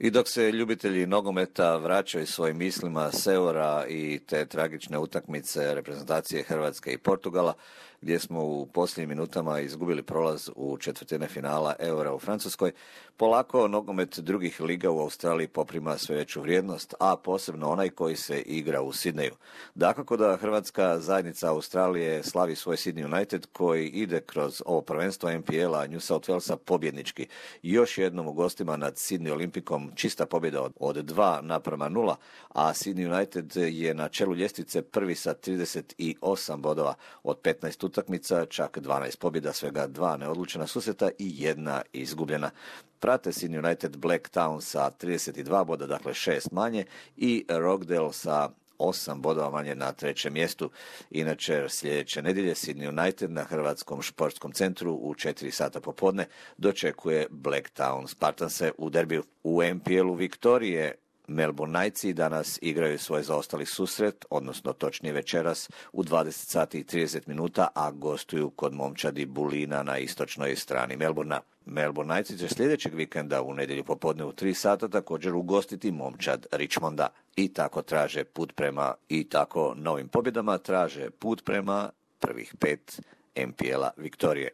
I dok se ljubitelji nogometa vraćaju svojim mislima s Eura i te tragične utakmice reprezentacije Hrvatske i Portugala, gdje smo u posljednjim minutama izgubili prolaz u četvrtine finala Eura u Francuskoj, polako nogomet drugih liga u Australiji poprima sve veću vrijednost, a posebno onaj koji se igra u Sidneju. Dakako da Hrvatska zajednica Australije slavi svoj Sydney United koji ide kroz ovo prvenstvo NPL-a New South Walesa pobjednički. Još jednom u gostima nad Sydney Olimpikom čista pobjeda od 2:0, a Sydney United je na čelu ljestvice prvi sa 38 bodova od 15 utakmica, čak 12 pobjeda, svega 2 neodlučena susreta i 1 izgubljena. Prate Sydney United Blacktown sa 32 boda, dakle 6 manje, i Rockdale sa 8 bodova manje na trećem mjestu. Inače, sljedeće nedjelje Sydney United na Hrvatskom športskom centru u 4 sata popodne dočekuje Blacktown Spartanse u derbiju. U NPL-u Viktorije Melbourne Knightsi danas igraju svoj zaostali susret, odnosno točnije večeras u 20 sati i 30 minuta, a gostuju kod momčadi Bulina na istočnoj strani Melbournea. Melbourne Knightsi će sljedećeg vikenda u nedjelju popodne u 3 sata također ugostiti momčad Richmonda. I tako traže put prema, i tako novim pobjedama traže put prema prvih 5 NPL-a Viktorije.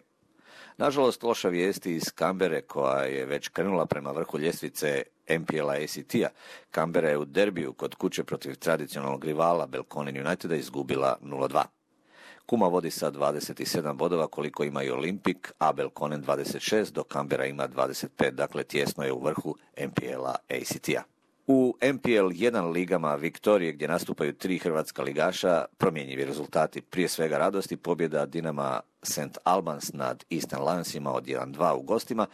Nažalost, loša vijesti iz Canberre koja je već krenula prema vrhu ljestvice NPL-a ACT-a. Canberra je u derbiju kod kuće protiv tradicionalnog rivala Belconnen Uniteda izgubila 0:2. Kuma vodi sa 27 bodova koliko ima i Olimpik, a Belconnen 26, dok Canberra ima 25, dakle tjesno je u vrhu NPL-a ACT-a. U NPL 1 ligama Viktorije, gdje nastupaju 3 hrvatska ligaša, promjenjivi rezultati, prije svega radosti, pobjeda Dinama St. Albans nad Eastern Lionsima od 1:2 u gostima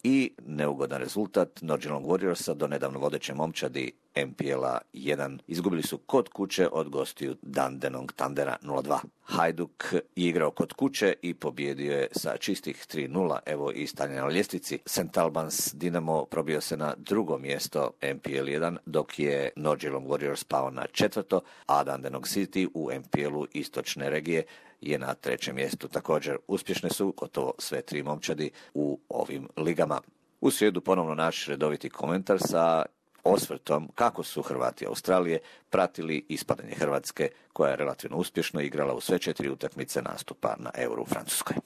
i neugodan rezultat Nordjylland Warriorsa do nedavno vodeće momčadi NPL-a 1. Izgubili su kod kuće od gostiju Dandenong Thundera 0:2. Hajduk je igrao kod kuće i pobjedio je sa čistih 3:0, evo i stanje na ljestvici. St. Albans Dinamo probio se na drugo mjesto NPL 1, dok je Nordjylland Warriors pao na četvrto, a Dandenong City u NPL-u istočne regije je na trećem mjestu. Također uspješne su gotovo sve 3 momčadi u ovim ligama. U srijedu ponovno naš redoviti komentar sa osvrtom kako su Hrvati Australije pratili ispadanje Hrvatske, koja je relativno uspješno igrala u sve 4 utakmice nastupa na Euro u Francuskoj.